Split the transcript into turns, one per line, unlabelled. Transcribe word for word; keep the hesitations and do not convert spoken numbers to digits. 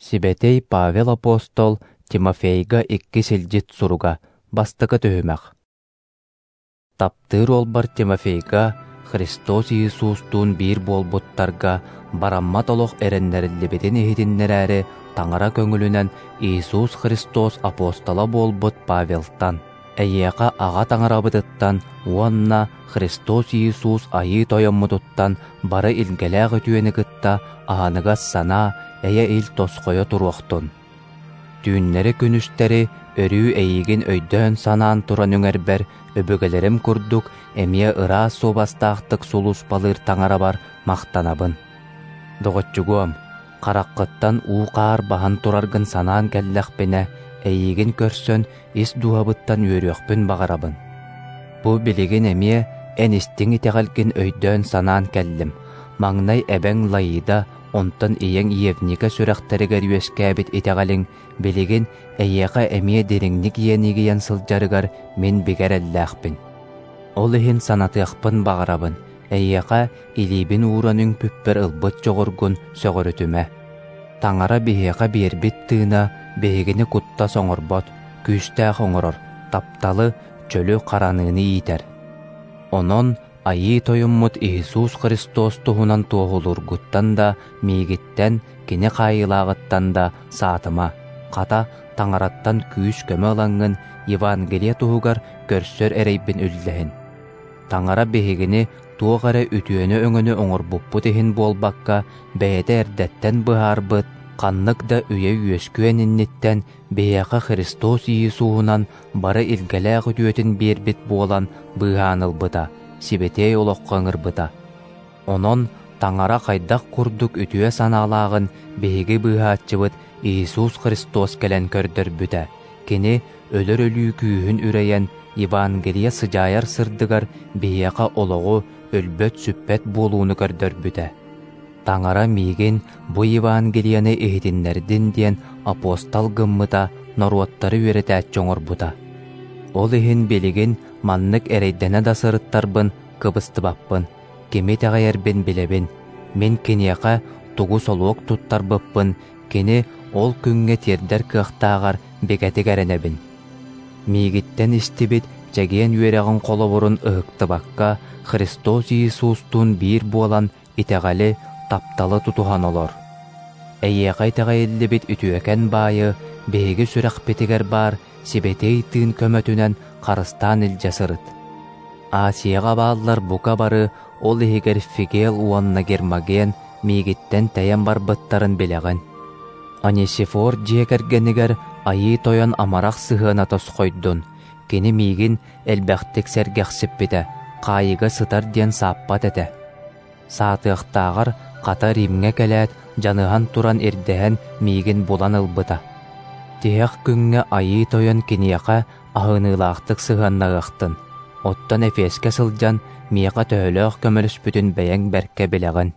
Сибэтэй Павел апостол Тимофейга икки силдьит суруга, бастакы түһүмэх. Таптыыр уолбар Тимофейга Христос Иисустуун биир буолбуттарга бараммат олох эрэннэриллибитин иһитиннэрээри Таҥара көҥүлүнэн Иисус Христос апостола буолбут Павелтан, эйиэхэ Аҕа Таҥарабытыттан уонна Христос Иисус Айыы Тойоммутуттан бары илгэлээх үтүөнү кытта аһыныгас санаа, эйэ-ил тосхойо туруохтун. Түүннэри-күнүстэри өрүү эйигин өйдөөн-санаан туран үҥэрбэр өбүгэлэрим курдук эмиэ ыраас суобастаахтык сулууспалыыр Таҥарабар махтанабын. Доҕоччугуом, хараххыттан уу-хаар баһан тураргын санаан кэллэхпинэ, эйигин көрсөн ис дууһабыттан үөрүөхпүн баҕарабын. Бу билигин эмиэ эн истиҥ итэҕэлгин өйдөөн-санаан кэллим. Маҥнай эбэҥ Лаида, онтон ийэҥ Евника сүрэхтэригэр үөскээбит итэҕэлиҥ билигин эйиэхэ эмиэ дириҥник иэнигийэн сылдьарыгар мин бигэ эрэллээхпин. Ол иһин санатыахпын баҕарабын, эйиэхэ илиибин ууран үҥпүппэр ылбыт дьоҕургун сөҕүрүтүмэ. Таҥара биһиэхэ биэрбит тыына биһигини куттас оҥорбот, күүстээх оҥорор, тапталы, чөлү хараныыны иитэр. Онон Айыы Тойоммут Иисус Христос туһунан туоһулуургуттан да, миигиттэн, кини хаайыылааҕыттан да саатыма. Хата, Таҥараттан күүс-көмө ылаҥҥын Евангелие туһугар көрсөр эрэйбин үллэһин. Таҥара биһигини туох эрэ үтүөнү-өҥөнү оҥорбуппут иһин буолбакка, бэйэтэ эрдэттэн быһаарбыт, ханнык да үйэ үөскүөн инниттэн биһиэхэ Христос Иисуһунан бары илгэлээх үтүөтүн биэрбит буолан быыһаан ылбыта, сибэтиэй олоххо ыҥырбыта. Онон Таҥара хайдах курдук үтүө санаалааҕын биһиги быыһааччыбыт Иисус Христос кэлэн көрдөрбүтэ. Кини өлөр өлүү күүһүн үрэйэн, Евангелие сыдьаайар сырдыгар биһиэхэ олоҕу, өлбөт-сүппэт буолууну көрдөрбүтэ. Таҥара миигин бу Евангелиены иһитиннэрдин диэн апостол гыммыта, норуоттары үөрэтээччи оҥорбута. Ол иһин билигин маннык эрэйдэнэ да сырыттарбын кыбыстыбаппын, кими итэҕэйэрбин билэбин. Мин киниэхэ тугу солуок туттарбыппын, кини ол күҥҥэ тиэрдэр кыахтааҕар бигэтик эрэнэбин. Миигиттэн истибит чэгиэн үөрэҕин холобурун ыһыктыбакка, Христос Иисустуун биир буолан итэҕэли, тапталы тутуһан олор. Эйиэхэ итэҕэйиллибит үтүөкэн баайы биһиги сүрэхпитигэр баар сибэтиэй тыын көмөтүнэн харыстаан илдьэ сырыт. Асияҕа бааллар бука бары, ол иһигэр Фигел уонна Гермоген миигиттэн тэйэн барбыттарын билэҕин. Анисифор дьиэ кэргэнигэр Айыы Тойон амарах сыһыана тосхойдун, кини миигин элбэхтик сэргэхсиппитэ, хаайыга сытар диэн сааппат этэ. Саатыахтааҕар хата Римҥэ кэлээт, дьаныһан туран ирдэһэн миигин булан ылбыта. Тиһэх күҥҥэ Айыы Тойон киниэхэ аһыныылаахтык сыһыаннаһыахтын, оттон Эфескэ сылдьан миэхэ төһөлөөх көмөлөспүтүн бэйэҥ бэркэ билэҕин.